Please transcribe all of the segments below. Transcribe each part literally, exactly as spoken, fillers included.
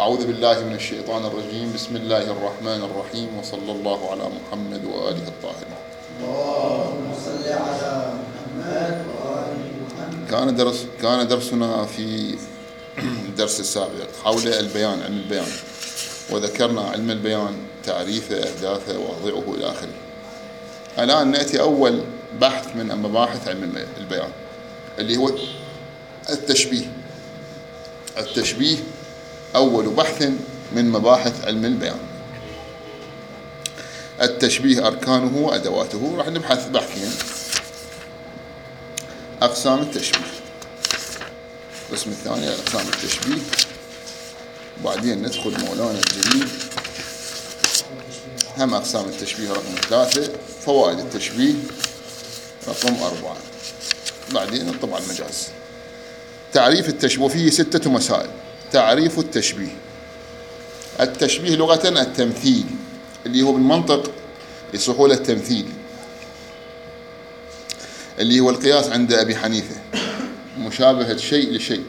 أعوذ بالله من الشيطان الرجيم. بسم الله الرحمن الرحيم، وصلى الله على محمد وآله الطاهرين. اللهم صل على محمد وآل محمد. كان درس كان درسنا في الدرس السابق حول البيان، علم البيان، وذكرنا علم البيان تعريفه، أهدافه، وأضعه إلى آخره. الآن نأتي أول بحث من مباحث علم البيان اللي هو التشبيه. التشبيه أول بحث من مباحث علم البيان. التشبيه أركانه وأدواته. راح نبحث بحثين: أقسام التشبيه، القسم الثاني أقسام التشبيه، وبعدين ندخل مولانا الجليل هم أقسام التشبيه رقم ثلاثة، فوائد التشبيه رقم أربعة، بعدين نطبع المجاز. تعريف التشبيه، وفيه ستة مسائل. تعريف التشبيه: التشبيه لغة التمثيل، اللي هو بالمنطق يصح له التمثيل، اللي هو القياس عند أبي حنيفة، مشابهة شيء لشيء،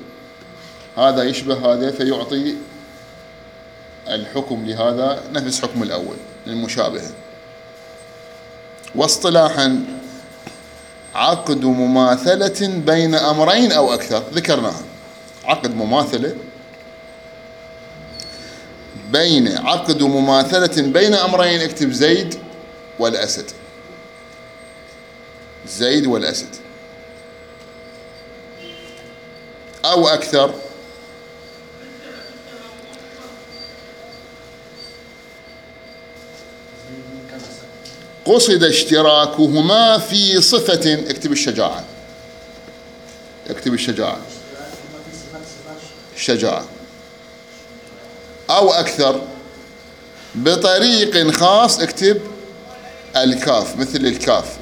هذا يشبه هذا فيعطي الحكم لهذا نفس حكم الأول للمشابهة. واصطلاحا عقد مماثلة بين أمرين أو أكثر، ذكرناها. عقد مماثلة بين عقد مماثلة بين أمرين، اكتب زيد والأسد، زيد والأسد، أو أكثر قصد اشتراكهما في صفة، اكتب الشجاعة، اكتب الشجاعة، الشجاعة، أو أكثر بطريق خاص، اكتب الكاف، مثل الكاف،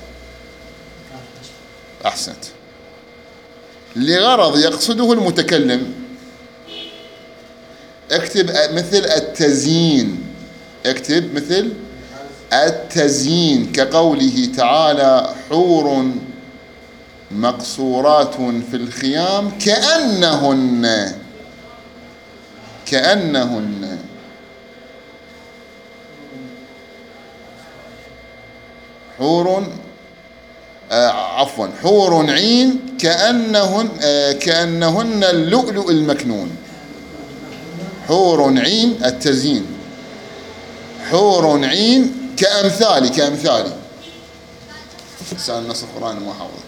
أحسنت، لغرض يقصده المتكلم، اكتب مثل التزيين، اكتب مثل التزيين، كقوله تعالى: حور مقصورات في الخيام كأنهن، كأنهن، حور آه عفوا حور عين كأنهن آه كأنهن اللؤلؤ المكنون. حور عين التزيين، حور عين كأمثالي، كأمثالي سأل نص القرآن ما حافظ.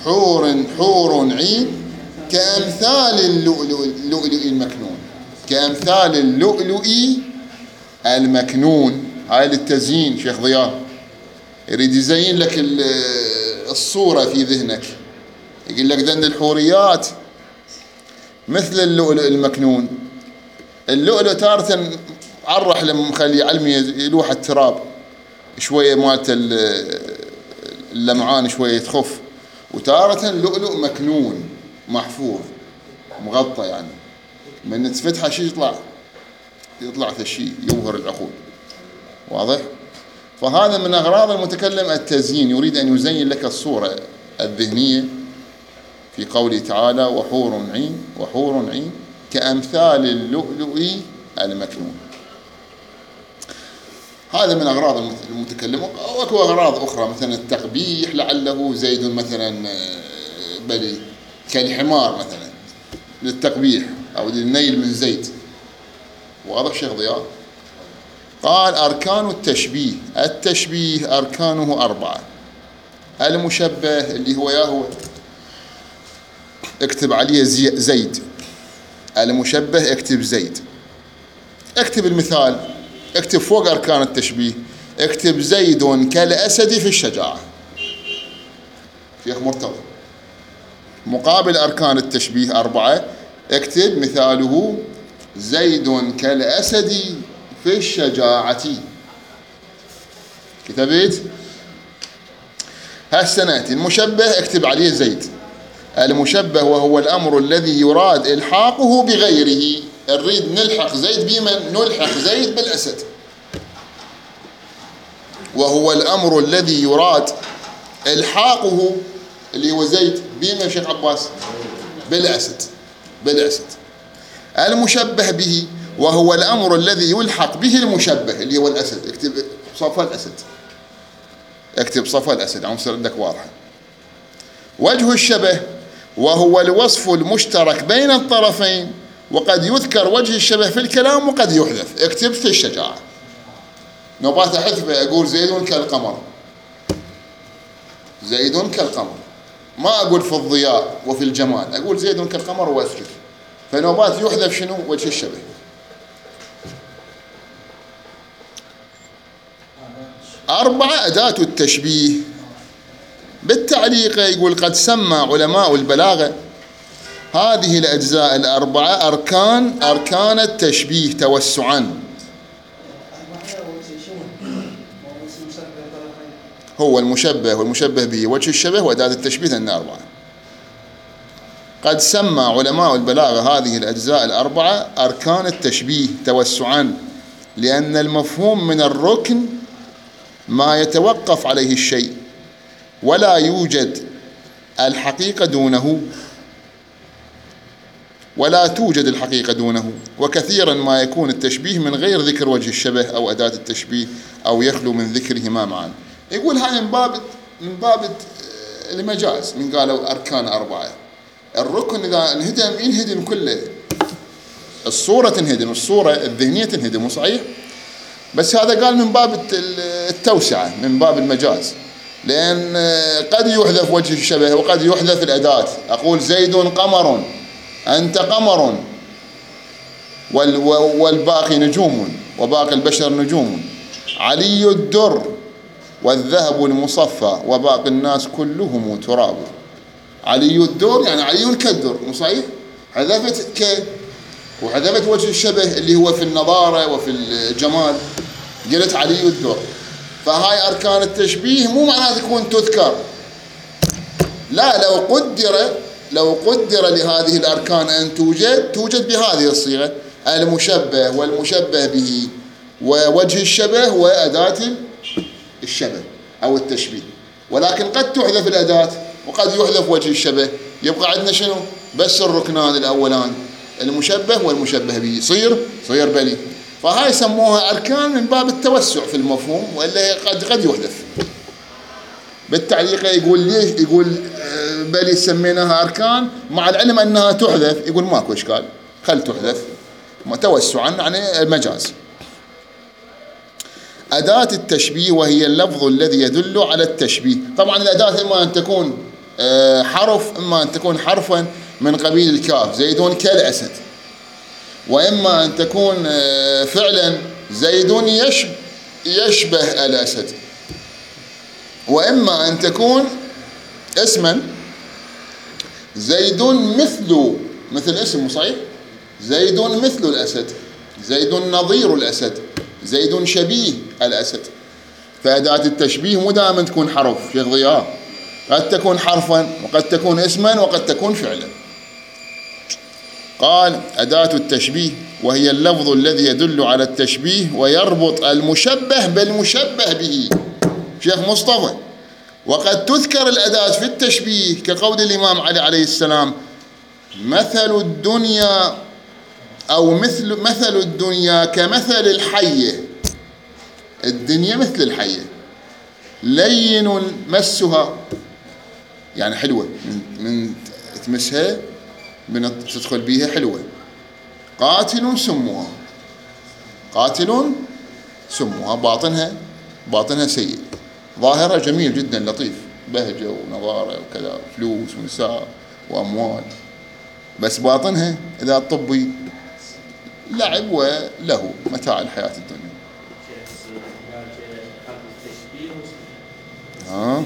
حور حور عين كأمثال اللؤلؤ اللؤلؤ المكنون، كأمثال اللؤلؤ المكنون. هاي للتزيين. شيخ ضياء يريد يزين لك الصورة في ذهنك، يقول لك ذن الحوريات مثل اللؤلؤ المكنون. اللؤلؤ تارة عرح لما مخلي علمي يلوح التراب شوية، مالت اللمعان شوية تخف، وتارة لؤلؤ مكنون محفوظ مغطى، يعني من تفتحه شيء يطلع يطلع ثشي يظهر العقول. واضح؟ فهذا من أغراض المتكلم التزيين، يريد أن يزين لك الصورة الذهنية في قوله تعالى: وحور عين، وحور عين كأمثال اللؤلؤ المكنون. هذا من أغراض المتكلم. وأكو أغراض أخرى، مثلا التقبيح، لعله زيد مثلا بلي كالحمار مثلا للتقبيح أو للنيل من زيد. واضح شيخ ضياء؟ قال: أركان التشبيه. التشبيه أركانه أربعة. المشبه اللي هو يا هو اكتب عليه زيد، المشبه اكتب زيد، اكتب المثال، اكتب فوق أركان التشبيه، اكتب زيد كالأسد في الشجاعة. شيخ مرتضى، مقابل أركان التشبيه أربعة، اكتب مثاله: زيد كالأسد في الشجاعة. كتبت؟ هسه نأتي المشبه، اكتب عليه زيد. المشبه وهو الأمر الذي يراد إلحاقه بغيره. نريد نلحق زيد بمن؟ نلحق زيد بالأسد. وهو الأمر الذي يراد إلحاقه اللي هو زيد بمن شيخ عباس؟ بالأسد، بالأسد. المشبه به وهو الأمر الذي يلحق به المشبه اللي هو الأسد. اكتب صفا الأسد، اكتب صفا الأسد عم يصير عندك واضحة. وجه الشبه وهو الوصف المشترك بين الطرفين، وقد يذكر وجه الشبه في الكلام وقد يحذف. اكتب في الشجاعة، نبات أحذفه أقول زيد كالقمر، زيد كالقمر، ما أقول في الضياء وفي الجمال، أقول زيد كالقمر وأسكت. فنوبات يحذف شنو؟ وجه الشبه. أربعة أداة التشبيه. بالتعليق يقول قد سمى علماء البلاغة هذه الأجزاء الأربعة أركان أركان التشبيه توسعا. هو المشبه والمشبه به وجه الشبه وأداة التشبيه لأن أربعة. قد سمى علماء البلاغة هذه الأجزاء الأربعة أركان التشبيه توسعا، لأن المفهوم من الركن ما يتوقف عليه الشيء ولا يوجد الحقيقة دونه، ولا توجد الحقيقة دونه، وكثيرا ما يكون التشبيه من غير ذكر وجه الشبه أو أداة التشبيه أو يخلو من ذكرهما معا. يقول هاي من باب من باب المجاز، من قالوا أركان أربعة. الركن إذا انهدم ينهدم كله، الصورة تنهدم، الصورة الذهنية تنهدم، مو صحيح؟ بس هذا قال من باب التوسعة، من باب المجاز، لأن قد يحذف وجه الشبه وقد يحذف الأداة. أقول زيد قمر، أنت قمر، والباقي نجوم، وباقي البشر نجوم. علي الدر والذهب المصفى وباقي الناس كلهم تراب. علي الدر يعني علي كالدر، مو صحيح؟ حذفت ك وحذفت وجه الشبه اللي هو في النضارة وفي الجمال، قلت علي الدر. فهاي أركان التشبيه مو معناته تكون تذكر، لا، لو قدر لو قدر لهذه الأركان أن توجد توجد بهذه الصيغة: المشبه والمشبه به ووجه الشبه وأداة الشبه أو التشبيه. ولكن قد تحذف الأداة وقد يحذف وجه الشبه، يبقى عندنا شنو؟ بس الركنان الأولان المشبه والمشبه به، صير صير بلي. فهاي يسموها أركان من باب التوسع في المفهوم، وإلا قد قد يحذف. بالتعليق يقول ليش؟ يقول بلي سميناها أركان مع العلم أنها تحذف، يقول ماكو إشكال، خل تحذف توسعا يعني المجاز. أداة التشبيه وهي اللفظ الذي يدل على التشبيه. طبعا الأداة إما أن تكون حرف، إما أن تكون حرفا من قبيل الكاف، زيد كالأسد، وإما أن تكون فعلا زيد يشبه, يشبه الأسد، وإما أن تكون اسما زيد مثل مثل اسم، صحيح؟ زيد مثل الأسد، زيد نظير الأسد، زيد شبيه الأسد. فأداة التشبيه مو دائما تكون حرف، شيخ ضياء، قد تكون حرفا وقد تكون اسما وقد تكون فعلا. قال أداة التشبيه وهي اللفظ الذي يدل على التشبيه ويربط المشبه بالمشبه به. شيخ مصطفى، وقد تذكر الأداة في التشبيه كقول الإمام علي عليه السلام: مثل الدنيا أو مثل مثل الدنيا كمثل الحية. الدنيا مثل الحية، لين مسها يعني حلوة، من, من تمسها من تدخل بيها حلوة. قاتل سمها، قاتل سمها، باطنها باطنها سيء، ظاهرها جميل جدا لطيف، بهجة ونظارة وكذا، فلوس ونساء وأموال، بس باطنها إذا الطبي لعب وله متاع الحياة الدنيا. ها؟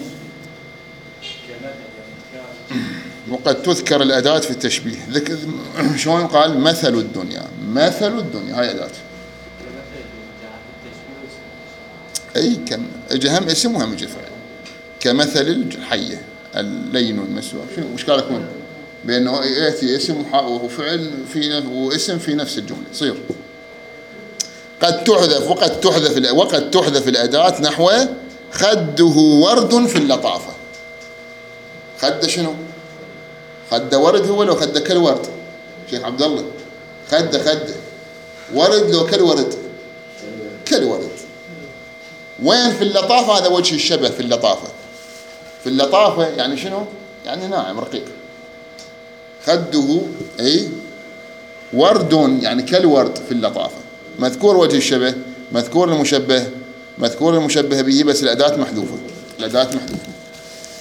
وقد تذكر الأداة في التشبيه. شلون قال؟ مثل الدنيا، مثل الدنيا، هاي أداة. أي كم جهم اسم وهم فعل، كمثل الحية اللين المسوى. شنو مشكلة يكون بأنه يأتي اسم وفعل في واسم في نفس الجملة؟ يصير قد تحذف وقد تحذف وقد تحذف الأداة نحو خده ورد في اللطافة. خد شنو؟ خد ورد هو لو خد كالورد. شيخ عبد الله، خده خده ورد لو كالورد كالورد. وين في اللطافة؟ هذا وجه الشبه في اللطافة. في اللطافة يعني شنو؟ يعني ناعم رقيق. خده أي ورد يعني كالورد في اللطافة. مذكور وجه الشبه، مذكور المشبه، مذكور المشبه به، بس الأداة محذوفة. الأداة محذوفة.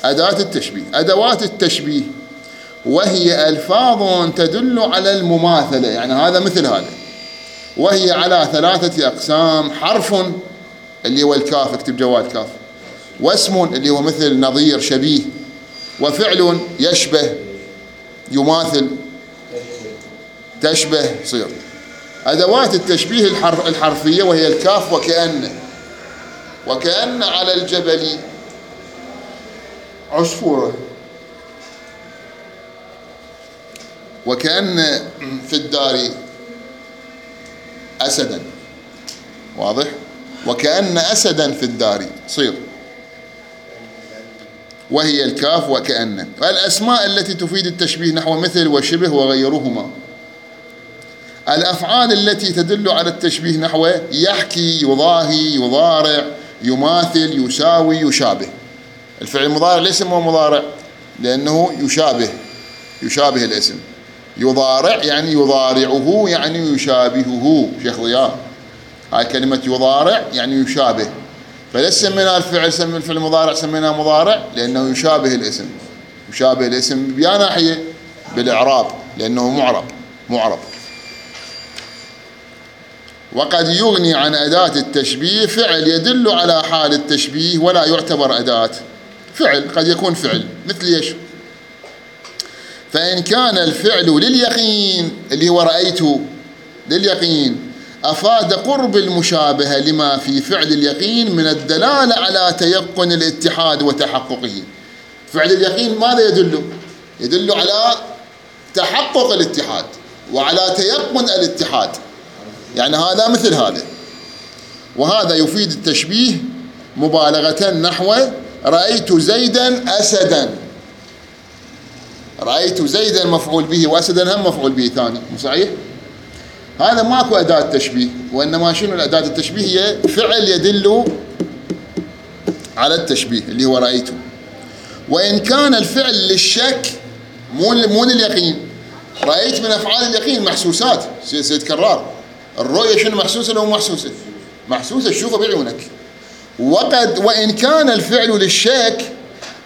أداة التشبيه. أدوات التشبيه وهي ألفاظ تدل على المماثلة، يعني هذا مثل هذا، وهي على ثلاثة أقسام: حرف اللي هو الكاف، اكتب جواد كاف، واسم اللي هو مثل نظير شبيه، وفعل يشبه يماثل تشبه صير. أدوات التشبيه الحرفية وهي الكاف وكأن. وكأن على الجبل عصفورة، وكأن في الدار أسدا، واضح؟ وكأن أسدا في الدار صير، وهي الكاف وكأن. الأسماء التي تفيد التشبيه نحو مثل وشبه وغيرهما. الأفعال التي تدل على التشبيه نحو يحكي، يضاهي، يضارع، يماثل، يساوي، يشابه. الفعل المضارع ليس هو مضارع لأنه يشابه، يشابه الاسم. يضارع يعني يضارعه يعني يشابهه. شيخ ضياء، هاي كلمة يضارع يعني يشابه، فليس سميناه الفعل سمي الفعل المضارع سميناه مضارع لأنه يشابه الاسم. يشابه الاسم بيا ناحية بالإعراب لأنه معرب معرب. وقد يغني عن أداة التشبيه فعل يدل على حال التشبيه ولا يعتبر أداة. فعل قد يكون فعل مثل ايش؟ فإن كان الفعل لليقين اللي هو رأيته لليقين أفاد قرب المشابهة لما في فعل اليقين من الدلالة على تيقن الاتحاد وتحققه. فعل اليقين ماذا يدل؟ يدل على تحقق الاتحاد وعلى تيقن الاتحاد، يعني هذا مثل هذا. وهذا يفيد التشبيه مبالغة نحو رأيت زيدا أسدا. رأيت زيدا مفعول به وأسدا هم مفعول به ثاني، مو صحيح؟ هذا ماكو أداة تشبيه، وإنما شنو الأداة التشبيه؟ هي فعل يدل على التشبيه اللي هو رأيته. وإن كان الفعل للشك مو مو لليقين. رأيت من أفعال اليقين محسوسات، سيد كرار. الرؤية شنو محسوسة لو محسوسة؟ محسوسة، تشوفها بعيونك. وقد وإن كان الفعل للشك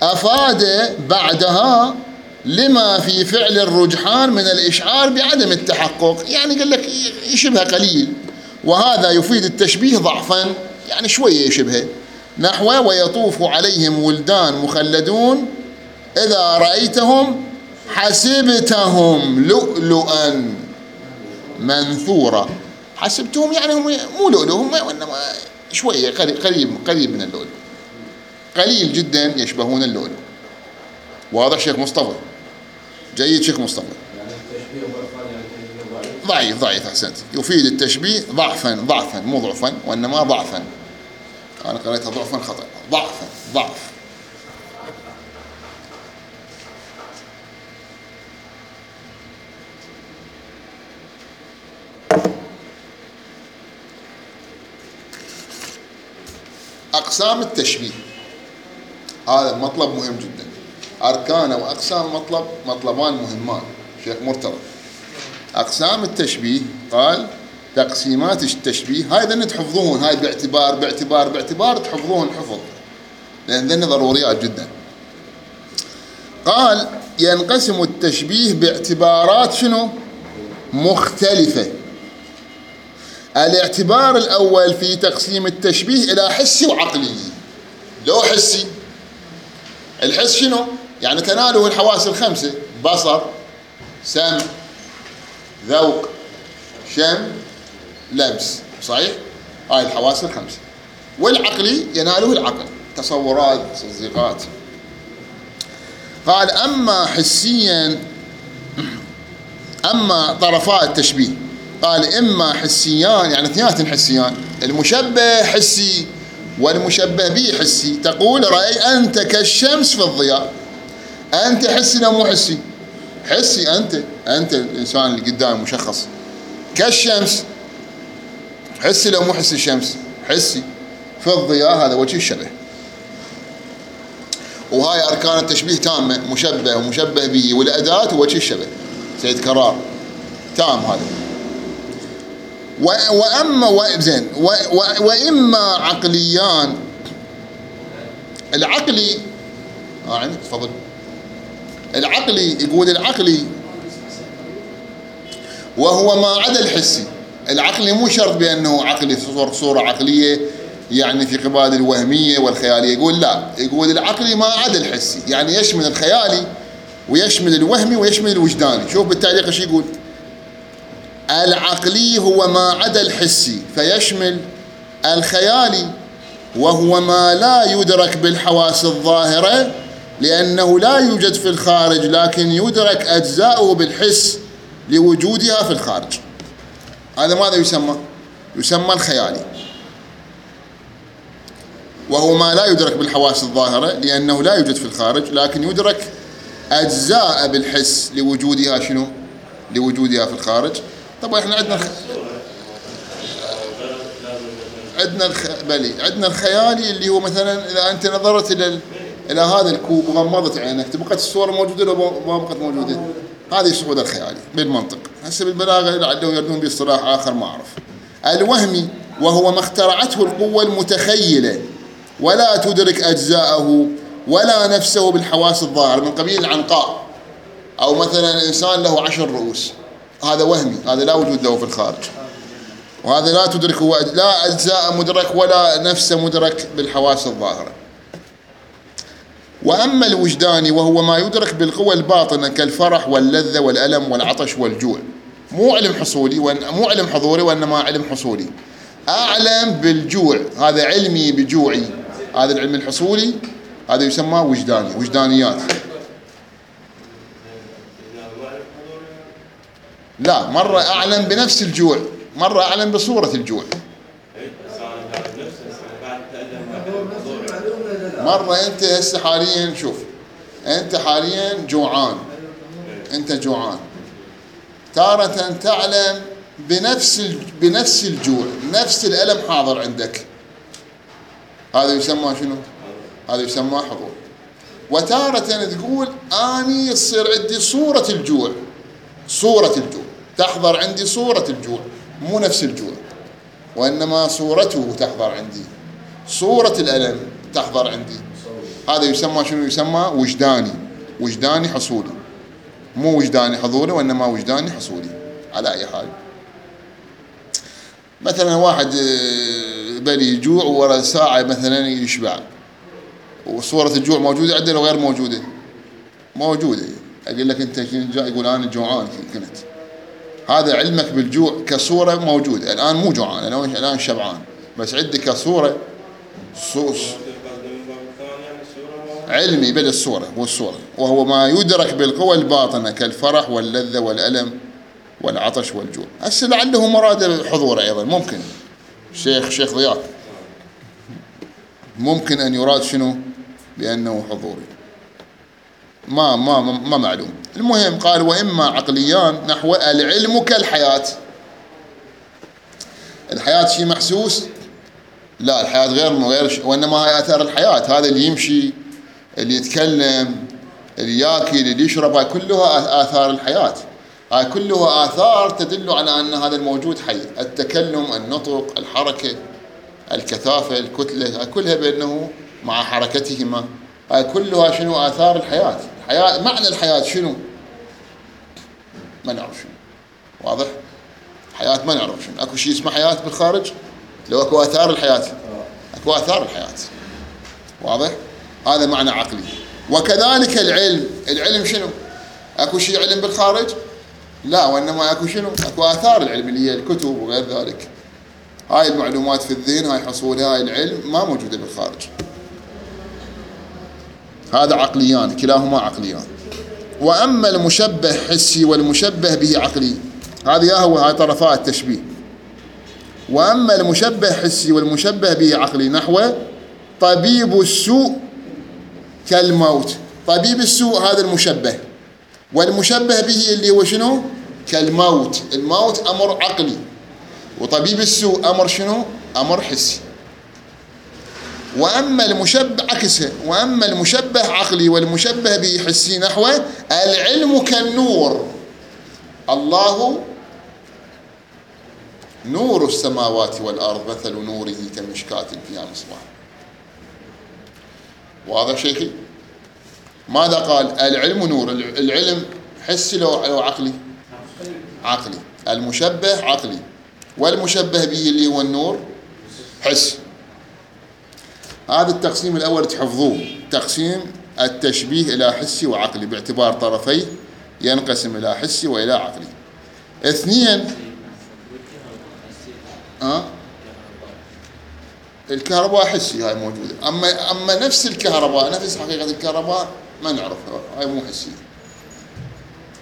أفاد بعدها لما في فعل الرجحان من الإشعار بعدم التحقق، يعني قال لك يشبه قليل، وهذا يفيد التشبيه ضعفا، يعني شوية يشبه. نحو ويطوف عليهم ولدان مخلدون إذا رأيتهم حسبتهم لؤلؤا منثورا. حسبتهم يعني هم مو لؤلؤ، هم وإنما شوية قريب قريب من اللؤلؤ، قليل جدا يشبهون اللؤلؤ. واضح شيخ مصطفى؟ جيد شيخ مصطفى. يعني التشبيه ضعفا، يعني التشبيه ضعيف. ضعيف ضعيف أحسنت. يفيد التشبيه ضعفا ضعفا مو ضعفا، وإنما ضعفا. أنا قرأتها ضعفا خطأ، ضعفا ضعف. أقسام التشبيه هذا مطلب مهم جدا. أركان وأقسام المطلب مطلبان مهمان. شيخ مرتضى، أقسام التشبيه قال تقسيمات التشبيه، هاي ذن تحفظون، هاي باعتبار باعتبار باعتبار تحفظون حفظ، لأن ذن ضروريات جدا. قال ينقسم التشبيه باعتبارات شنو؟ مختلفة. الاعتبار الأول في تقسيم التشبيه إلى حسي وعقلي. لو حسي، الحس شنو؟ يعني تناله الحواس الخمسة: بصر، سمع، ذوق، شم، لمس، صحيح؟ هاي الحواس الخمسة. والعقلي يناله العقل، تصورات، تصديقات. قال أما حسيا، أما طرفات التشبيه قال إما حسيان، يعني اثنينات حسيان، المشبه حسي والمشبه به حسي. تقول رأي أنت كالشمس في الضياء، أنت حسي لو مو حسي؟ حسي. أنت أنت الإنسان اللي قدام مشخص، كالشمس، حسي لو مو حسي الشمس؟ حسي. في الضياء هذا وجه الشبه. وهاي أركان التشبيه تامة، مشبه ومشبه به والأداة ووجه الشبه، سيد كرار تام هذا. وأما زين وإما عقليان، العقلي اه عندك تفضل. العقلي يقول العقلي وهو ما عدا الحسي. العقلي مو شرط بأنه عقلي صورة عقلية يعني في قبال الوهمية والخيالية، يقول لا، يقول العقلي ما عدا الحسي، يعني يشمل الخيالي ويشمل الوهمي ويشمل الوجداني. شوف بالتعليق ايش يقول: العقلي هو ما عدا الحسي فيشمل الخيالي، وهو ما لا يدرك بالحواس الظاهرة لأنه لا يوجد في الخارج، لكن يدرك أجزاؤه بالحس لوجودها في الخارج. هذا ماذا يسمى؟ يسمى الخيالي. وهو ما لا يدرك بالحواس الظاهرة لأنه لا يوجد في الخارج، لكن يدرك أجزاء بالحس لوجودها شنو؟ لوجودها في الخارج. طبعا احنا عندنا الخ... عندنا الخ... بلي عندنا الخيالي اللي هو مثلا إذا أنت نظرت إلى ال... إلى هذا الكوب وغمضت عينك تبقت الصورة موجودة لو ما بقت موجودة، هذه صعود الخيالي بالمنطق. هسه بالبلاغة لعله يردون باصطلاح آخر ما أعرف. الوهمي وهو ما اخترعته القوة المتخيلة ولا تدرك أجزاءه ولا نفسه بالحواس الظاهرة، من قبيل العنقاء، أو مثلا إنسان له عشر رؤوس، هذا وهمي، هذا لا وجود له في الخارج، وهذا لا تدركه لا أجزاء مدرك ولا نفس مدرك بالحواس الظاهرة. وأما الوجداني وهو ما يدرك بالقوى الباطنة كالفرح واللذة والألم والعطش والجوع، مو علم حصولي مو علم حضوري وإنما علم حصولي. أعلم بالجوع، هذا علمي بجوعي، هذا العلم الحصولي هذا يسمى وجداني، وجدانيات. لا، مرة أعلم بنفس الجوع، مرة أعلم بصورة الجوع. مرة أنت هسه حاليا شوف، أنت حاليا جوعان، أنت جوعان، تارة تعلم بنفس بنفس الجوع، نفس الألم حاضر عندك، هذا يسمى شنو؟ هذا يسمى حضور. وتارة تقول أني يصير عندي صورة الجوع، صورة الجوع تحضر عندي صورة الجوع، مو نفس الجوع، وإنما صورته تحضر عندي، صورة الألم تحضر عندي. هذا يسمى شنو؟ يسمى وجداني، وجداني حصولي، مو وجداني حضوري وإنما وجداني حصولي. على أي حال، مثلا واحد بلي يجوع ورا ساعة مثلا يشبع، وصورة الجوع موجودة عندنا وغير موجودة؟ موجودة. أقول لك أنت يقول أنا جوعان كنت، هذا علمك بالجوع كصورة موجودة. الآن مو جوعان، أنا الآن شبعان، بس عندي كصورة صوص علمي بل الصورة والصورة، وهو ما يدرك بالقوى الباطنة كالفرح واللذة والألم والعطش والجوع. هسه لعله مراد الحضور أيضا، ممكن شيخ شيخ ضياء ممكن أن يراد شنو بأنه حضوري، ما ما ما معلوم. المهم قال وإما عقليان نحو العلم كالحياة. الحياة شيء محسوس؟ لا، الحياة غير غير وإنما هي آثار الحياة. هذا اللي يمشي، اللي يتكلم، اللي ياكل، اللي يشرب، هاي كلها آثار الحياة، هاي كلها آثار تدل على أن هذا الموجود حي. التكلم، النطق، الحركة، الكثافة، الكتلة، هاي كلها بأنه مع حركتهما، هاي كلها شنو؟ آثار الحياة. الحياة معنى الحياة شنو؟ ما نعرف شنو، واضح؟ حياة ما نعرف شنو. أكو شيء اسمه حياة بالخارج؟ لو أكو آثار الحياة، أكو آثار الحياة، واضح؟ هذا معنى عقلي. وكذلك العلم، العلم شنو؟ أكو شيء علم بالخارج؟ لا، وإنما أكو شنو؟ أكو آثار العلم اللي هي الكتب وغير ذلك. هاي المعلومات في الذهن، هاي حصولها، هاي العلم ما موجودة بالخارج. هذا عقليان، كلاهما عقليان. وأما المشبه حسي والمشبه به عقلي، هذه هو هاي طرفاء التشبيه. وأما المشبه حسي والمشبه به عقلي نحو طبيب السوء كالموت. طبيب السوء هذا المشبه، والمشبه به اللي هو شنو؟ كالموت. الموت أمر عقلي، وطبيب السوء أمر شنو؟ أمر حسي. وأما المشبه عكسه، وأما المشبه عقلي والمشبه به حسي نحوه العلم كالنور. الله نور السماوات والأرض مثل نوره كمشكاة فيها مصباح. واضح شيخي؟ ماذا قال؟ العلم نور. العلم حسي لو عقلي؟ عقلي. المشبه عقلي، والمشبه به اللي هو النور حسي. هذا التقسيم الأول تحفظوه، تقسيم التشبيه إلى حسي وعقلي باعتبار طرفيه ينقسم إلى حسي وإلى عقلي. اثنين، أه؟ الكهرباء حسي هاي موجودة، أما أما نفس الكهرباء، نفس حقيقة الكهرباء ما نعرفها، هاي مو حسية،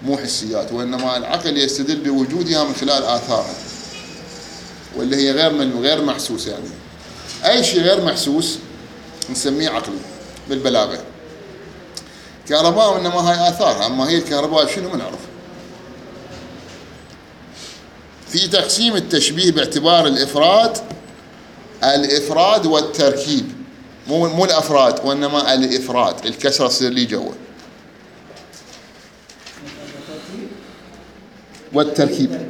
مو حسيات، وإنما العقل يستدل بوجودها من خلال آثارها، واللي هي غير من غير محسوسة. يعني أي شيء غير محسوس نسميه عقلي بالبلاغة. كهرباء وإنما هاي آثارها، أما هي الكهرباء شنو ما نعرف. في تقسيم التشبيه باعتبار الإفراد، الإفراد والتركيب، مو مو الأفراد وإنما الإفراد، الكسرة تصير لي جوا، والتركيب.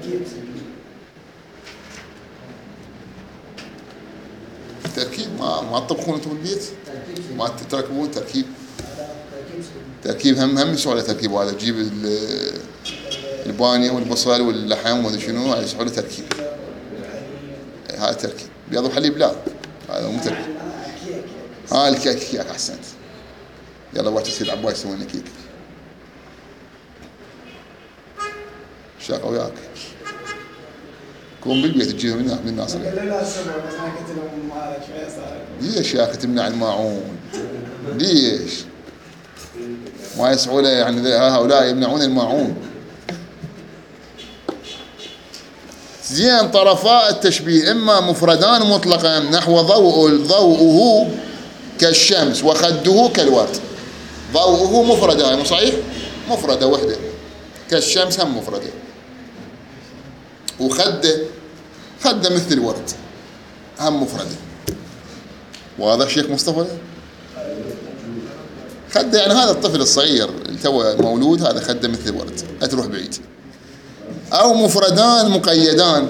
التركيب ما ما تطبخون انتم بالبيت؟ ما تركبون تركيب؟ تركيب هم هم يسوى له تركيب. هذا تجيب البانيه والبصل واللحم وهذا شنو، هذا يسوى له تركيب. هذا تركيب. بيض وحليب لا، هذا مو تركيب. ها الكيك، كيك احسنت. يلا وقت يصير عباس يسوي لنا كيك. شاقه وياك. كون بالبيت تجيهم من من الناس. ليش يا اخي تمنع الماعون؟ ليش؟ ما يسعوا له يعني هؤلاء يمنعون الماعون. زين، طرفاء التشبيه إما مفردان مطلقا نحو ضوء ضوءه كالشمس وخده كالورد. ضوءه مفردة، مو صحيح؟ مفردة وحدة. كالشمس هم مفردة. وخده خده مثل الورد هم مفردة. واضح شيخ مصطفى؟ خده يعني هذا الطفل الصغير اللي تو مولود، هذا خده مثل الورد، لا تروح بعيد. أو مفردان مقيدان،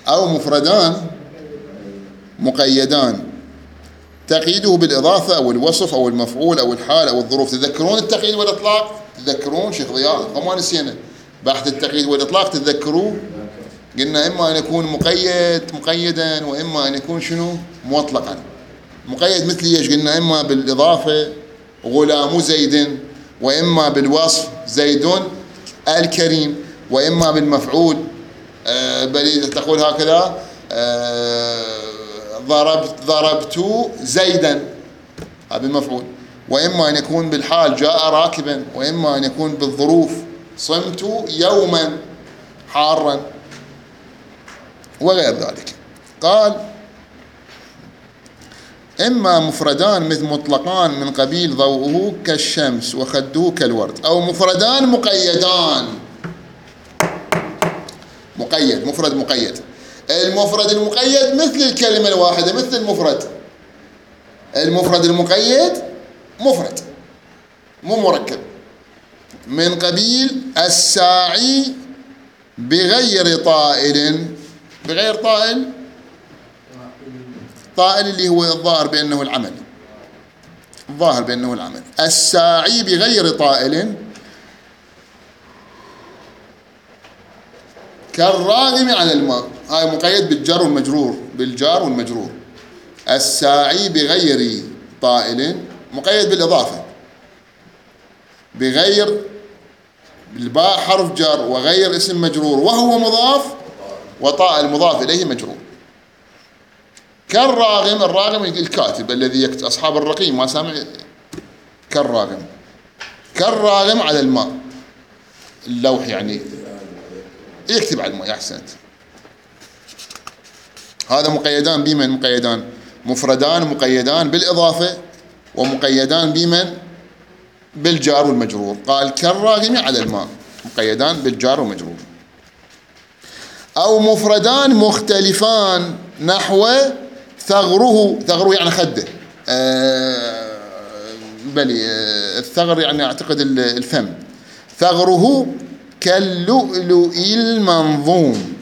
أو مفردان مقيدان تقييده بالإضافة أو الوصف أو المفعول أو الحال أو الظروف. تذكرون التقييد والإطلاق؟ تذكرون شيخ ضياء؟ وما نسينا بحث التقييد والإطلاق، تذكروه؟ قلنا إما أن يكون مقيد مقيدا، وإما أن يكون شنو؟ مطلقا. مقيد مثل ايش؟ قلنا إما بالإضافة غلام زيد، وإما بالوصف زيد الكريم، وإما بالمفعول آه بل تقول هكذا آه ضربت ضربت زيدا، هذا بالمفعول. وإما أن يكون بالحال جاء راكبا، وإما أن يكون بالظروف صمت يوما حارا وغير ذلك. قال إما مفردان مثل مطلقان من قبيل ضوءه كالشمس وخده كالورد، أو مفردان مقيدان. مقيد، مفرد مقيد. المفرد المقيد مثل الكلمة الواحدة، مثل المفرد. المفرد المقيد مفرد مو مركب. من قبيل الساعي بغير طائل. بغير طائل، طائل اللي هو الظاهر بأنه العمل، الظاهر بأنه العمل. الساعي بغير طائل كالراغم على الماء. هاي مقيد بالجار والمجرور، بالجار والمجرور. الساعي بغير طائل مقيد بالإضافة، بغير بالباء حرف جر، وغير اسم مجرور، وهو مضاف، وطائل مضاف إليه مجرور. كالراغم، الراغم الكاتب الذي يكتب، أصحاب الرقيم ما سامع. كالراغم، كالراغم على الماء، اللوح يعني يكتب على الماء. أحسنت. هذا مقيدان بمن؟ مقيدان مفردان مقيدان بالإضافة، ومقيدان بمن؟ بالجار والمجرور. قال كالراغم على الماء، مقيدان بالجار ومجرور. أو مفردان مختلفان نحو ثغره، ثغره يعني خده، آه بلي آه الثغر يعني أعتقد الفم، ثغره كاللؤلؤ المنظوم،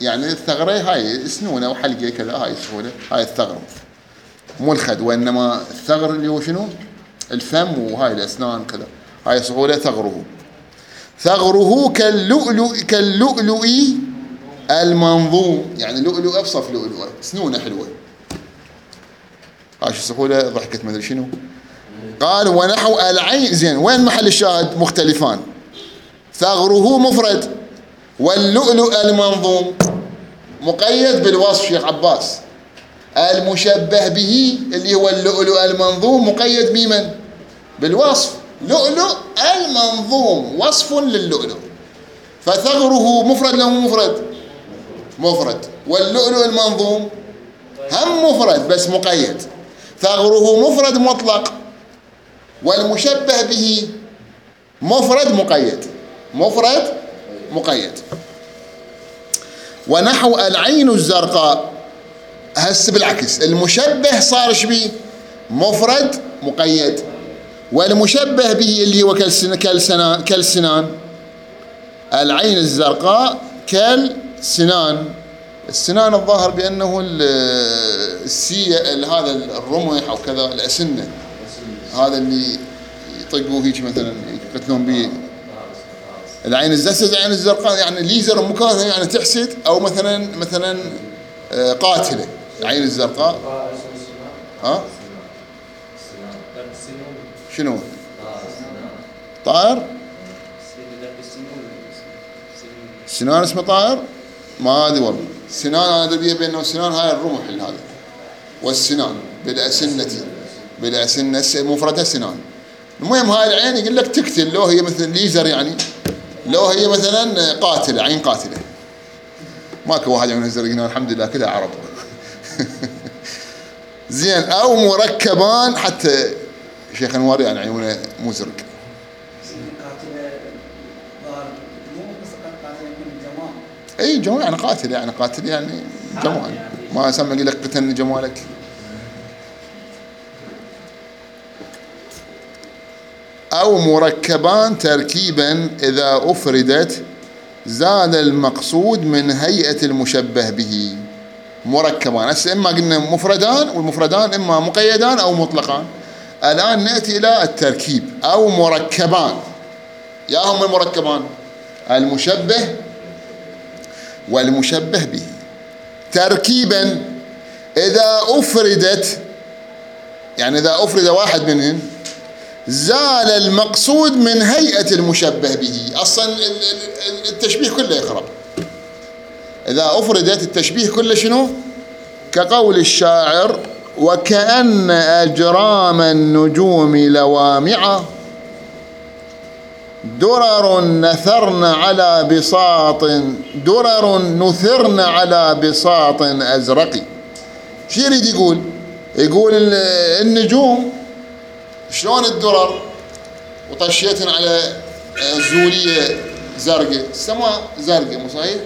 يعني الثغرة هاي سنونة أو حلقة كذا، هاي سهولة، هاي الثغر مو الخد، وإنما الثغر اللي هو شنو؟ الفم وهاي الأسنان كذا، هاي سهولة ثغره. ثغره كاللؤلؤ كاللؤلؤ المنظوم، يعني لؤلؤ أبصف لؤلؤة، سنونة حلوة. هاي سهولة ضحكت ما أدري شنو. قال ونحو العين، زين وين محل الشاهد؟ مختلفان. ثغره مفرد، واللؤلؤ المنظوم مقيد بالوصف شيخ عباس. المشبه به اللي هو اللؤلؤ المنظوم مقيد بمن؟ بالوصف، لؤلؤ المنظوم وصف للؤلؤ. فثغره مفرد له مفرد؟ مفرد. واللؤلؤ المنظوم هم مفرد بس مقيد. ثغره مفرد مطلق، والمشبه به مفرد مقيد، مفرد مقيد. ونحو العين الزرقاء، هسه بالعكس، المشبه صار شبيه؟ مفرد مقيد، والمشبه به اللي هو كالسنان، كالسنان، العين الزرقاء كالسنان. السنان الظاهر بأنه السي هذا الرمح أو كذا، الأسنة، هذا اللي يطقوه هيك مثلا يقتلون به. العين الزرقاء، العين الزرقاء يعني ليزر مكانها يعني تحسد، أو مثلا مثلا قاتلة. العين الزرقاء ها شنو؟ طائر؟ السنان اسمه طائر؟ ما ادري والله. السنان انا ادري بانه السنان هاي الرمح هذا، والسنان بالاسنة، بالاسنة مفردها سنان. المهم هاي العين يقول لك تقتل، لو هي مثلا ليزر يعني، لو هي مثلا قاتلة، عين قاتلة. ماكو واحد من الزرقين الحمد لله كلها عرب. زين. او مركبان، حتى شيخ انوار يعني عيونه مو زرق. اي جمال يعني قاتل، يعني قاتل يعني جمال، ما اسمى يقول لك قتلني جمالك. او مركبان تركيبا اذا افردت زاد المقصود من هيئة المشبه به. مركبان، هسه اما قلنا مفردان، والمفردان اما مقيدان او مطلقان. الان ناتي الى التركيب. او مركبان، يا هم المركبان المشبه والمشبه به تركيبا اذا افردت، يعني اذا افرد واحد منهم زال المقصود من هيئة المشبه به. اصلا التشبيه كله يخرب اذا افردت، التشبيه كله شنو؟ كقول الشاعر: وكأن أجرام النجوم لوامع درر نثرن على بساط درر نثرن على بساط أزرق. شو يريد يقول؟ يقول النجوم شلون الدرر وطشيتن على زولية زرقاء، السماء زرقاء مو صحيح؟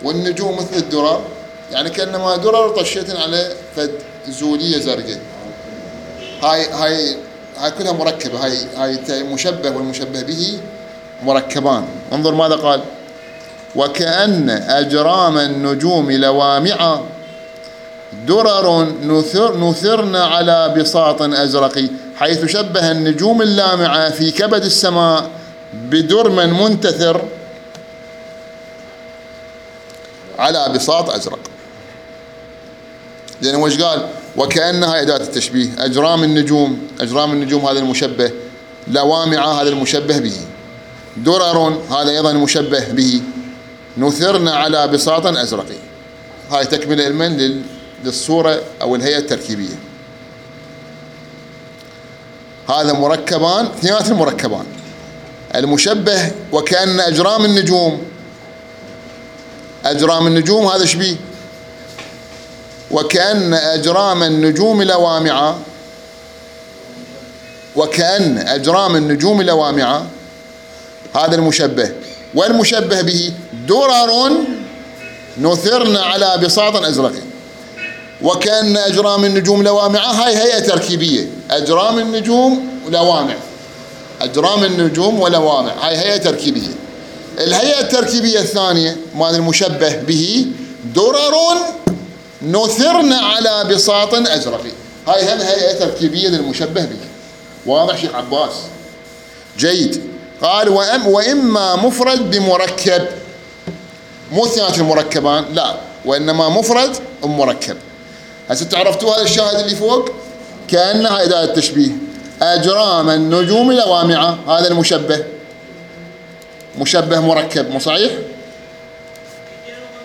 والنجوم مثل الدرر، يعني كأنما درر طشيتن على فد زولية زرقاء. هاي هاي هاي كلها مركبة، هاي هاي مشبه والمشبه به مركبان. انظر ماذا قال: وكأن أجرام النجوم لوامع درر نثر نثرن على بساط أزرق، حيث شبه النجوم اللامعة في كبد السماء بدرم منتثر على بساط أزرق. لأنه وش قال؟ وكأنها أداة التشبيه. أجرام النجوم، أجرام النجوم هذا المشبه، لوامع هذا المشبه به، درر هذا أيضا المشبه به، نثرن على بساط أزرق. هاي تكملة المن للصورة أو الهيئة التركيبية. هذا مركبان، اثنينات المركبان المشبه. وكأن أجرام النجوم، أجرام النجوم هذا شبيه. وكأن أجرام النجوم لوامع، وكأن أجرام النجوم لوامع هذا المشبه. والمشبه به درر نثرن على بساط أزرق وكأن أجرام النجوم لوامعة. هاي هيئة تركيبية، أجرام النجوم ولوامع، أجرام النجوم ولوامع، هاي هيئة تركيبية. الهيئة التركيبية الثانية مال المشبه به درر نثرن على بساط أزرق، هاي هم هيئة تركيبية للمشبه به. واضح شيخ عباس؟ جيد. قال وأم وإما مفرد بمركب، مو اثنينات المركبان، لا، وإنما مفرد ومركب. هسه تعرفتوا هذا الشاهد اللي فوق كأنها أداة التشبيه، أجرام النجوم لوامعة، هذا المشبه مشبه مركب، مو صحيح؟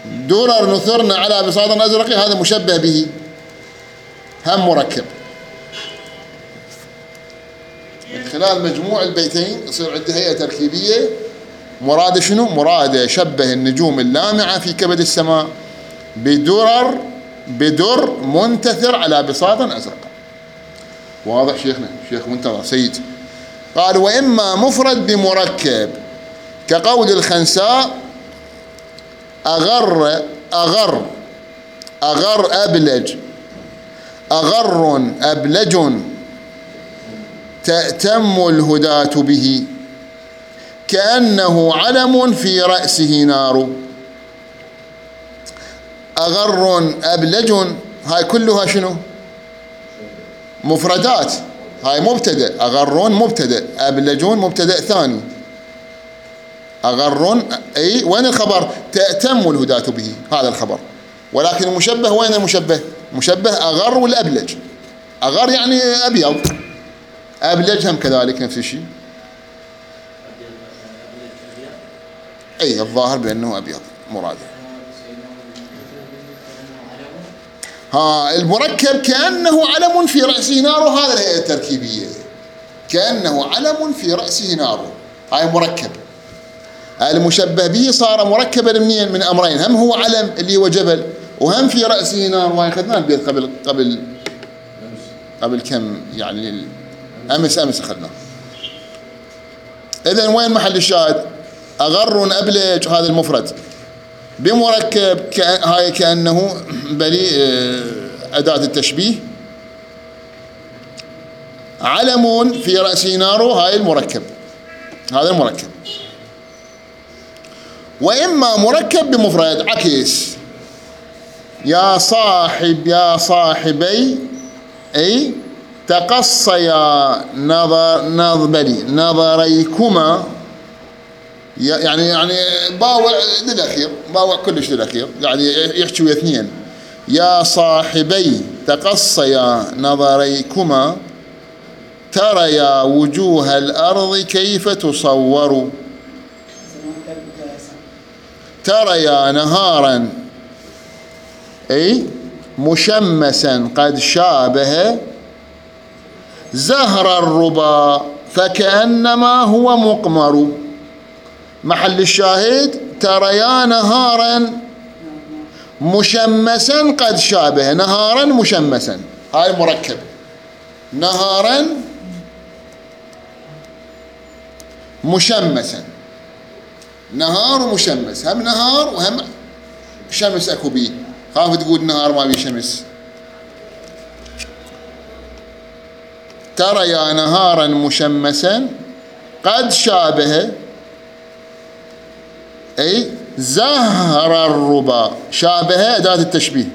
درر نثرن على بساط أزرق هذا مشبه به هم مركب. من خلال مجموع البيتين يصير عنده هيئة تركيبية. مراد شنو؟ مراد شبه النجوم اللامعة في كبد السماء بدرر بدر منتثر على بساط أزرق. واضح شيخنا؟ شيخ منتظر سيد. قال وإما مفرد بمركب كقول الخنساء أغر أغر أغر أبلج أغر أبلج تأتم الهداة به كأنه علم في رأسه نار. أغر أبلج هاي كلها شنو؟ مفردات، هاي مبتدأ، أغر مبتدأ، أبلجون مبتدأ ثاني. أغر أي وين الخبر؟ تأتم الهداة به، هذا الخبر. ولكن المشبه وين المشبه؟ مشبه أغر والأبلج. أغر يعني أبيض، أبلج هم كذلك نفس الشيء. أي الظاهر بأنه أبيض مراده. ها المركب كأنه علم في رأسه نار، هذا الهيئة التركيبية، كأنه علم في رأسه نار، هاي مركب. المشبه به صار مركبا منين؟ من أمرين، هم هو علم اللي هو جبل، وهم في رأسه نار. وهي أخذناه البيت قبل قبل قبل كم يعني أمس أمس أخذناه. إذن وين محل الشاهد؟ أغر أبلج هذا المفرد بمركب هاي كأنه بلي أداة التشبيه، علم في رأسه نار، هاي المركب، هذا المركب. وإما مركب بمفرد عكس، يا صاحب يا صاحبي أي تقصيا نظر نظبلي نظريكما، يعني يعني باوع للأخير، باوع كلش للأخير، يعني يحكي ويا اثنين. يا صاحبي تقصيا نظريكما تريا وجوه الأرض كيف تصور، تريا نهارا أي مشمسا قد شابه زهر الربا فكأنما هو مقمر. محل الشاهد تريا نهارا مشمسا قد شابه، نهارا مشمسا، هاي مركب، نهارا مشمسا، نهار ومشمس، هم نهار وهم شمس اكو بيه، خاف تقول نهار ما بيه شمس. تريا نهارا مشمسا قد شابه أي زهر الربا، شابه أداة التشبيه،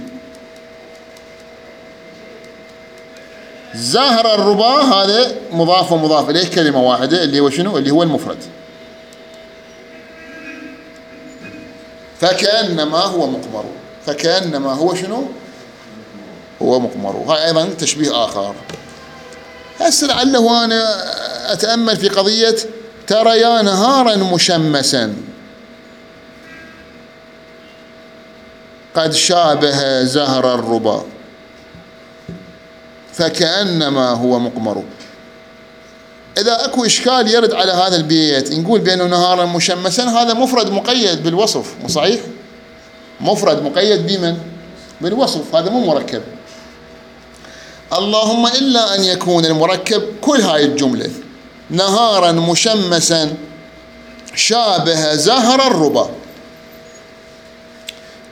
زهر الربا هذا مضاف ومضاف إليه كلمة واحدة اللي هو شنو؟ اللي هو المفرد. فكأنما هو مقمر، فكأنما هو شنو؟ هو مقمر. هاي أيضا تشبيه آخر. هسه لعله أنا أتأمل في قضية تريا نهارا مشمسا قد شابه زهر الربا فكأنما هو مقمر. إذا أكو إشكال يرد على هذا البيت نقول بأنه نهارا مشمسا هذا مفرد مقيد بالوصف، مو صحيح؟ مفرد مقيد بمن؟ بالوصف، هذا مو مركب. اللهم إلا أن يكون المركب كل هاي الجملة، نهارا مشمسا شابه زهر الربا.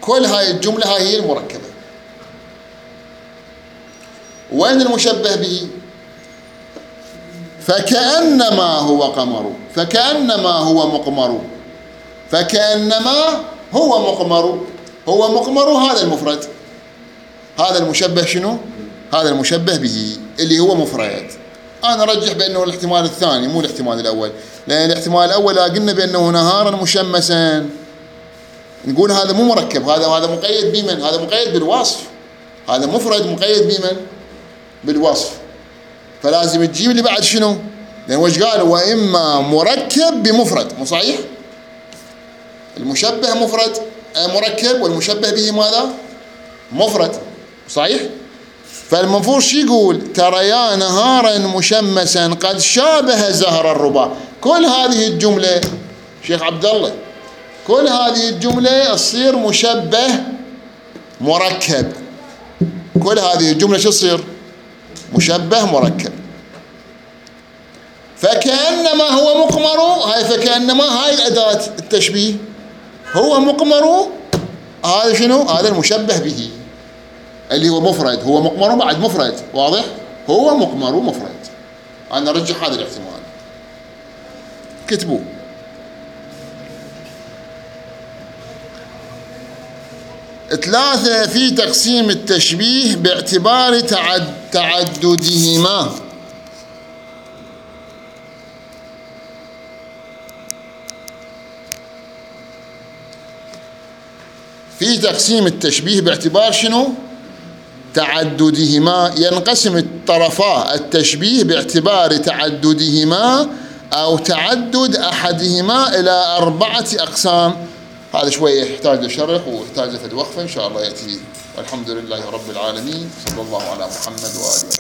كل هاي الجملة هاي هي المركبة. وين المشبه به؟ فكأنما هو قمر، فكأنما هو مقمر، فكأنما هو مقمر، هو مقمر هذا المفرد، هذا المشبه شنو؟ هذا المشبه به اللي هو مفرد. أنا أرجح بأنه الاحتمال الثاني مو الاحتمال الأول، لأن الاحتمال الأول قلنا بأنه نهارا مشمسا، نقول هذا مو مركب، هذا هذا مقيد بمن؟ هذا مقيد بالوصف، هذا مفرد مقيد بمن؟ بالوصف. فلازم تجيب اللي بعد شنو؟ لأن وش قال؟ وإما مركب بمفرد، مو صحيح؟ المشبه مفرد مركب والمشبه به ماذا؟ مفرد، صحيح؟ فالمفروض شو يقول؟ ترى يا نهارا مشمسا قد شابه زهر الربا. كل هذه الجملة شيخ عبد الله، كل هذه الجملة تصير مشبه مركب. كل هذه الجملة شو تصير؟ مشبه مركب. فكأنما هو مقمر، هاي فكأنما هاي الأداة التشبيه، هو مقمر، هذا شنو؟ هذا المشبه به اللي هو مفرد، هو مقمر بعد مفرد، واضح؟ هو مقمر مفرد. أنا أرجح هذا الاحتمال، كتبوه. ثلاثة، في تقسيم التشبيه باعتبار تعد تعددهما. في تقسيم التشبيه باعتبار شنو؟ تعددهما. ينقسم الطرفا التشبيه باعتبار تعددهما أو تعدد أحدهما إلى أربعة أقسام. هذا شوية يحتاج لشرح ويحتاج لفد وقفة إن شاء الله يأتي. والحمد لله رب العالمين، صلى الله على محمد وآله.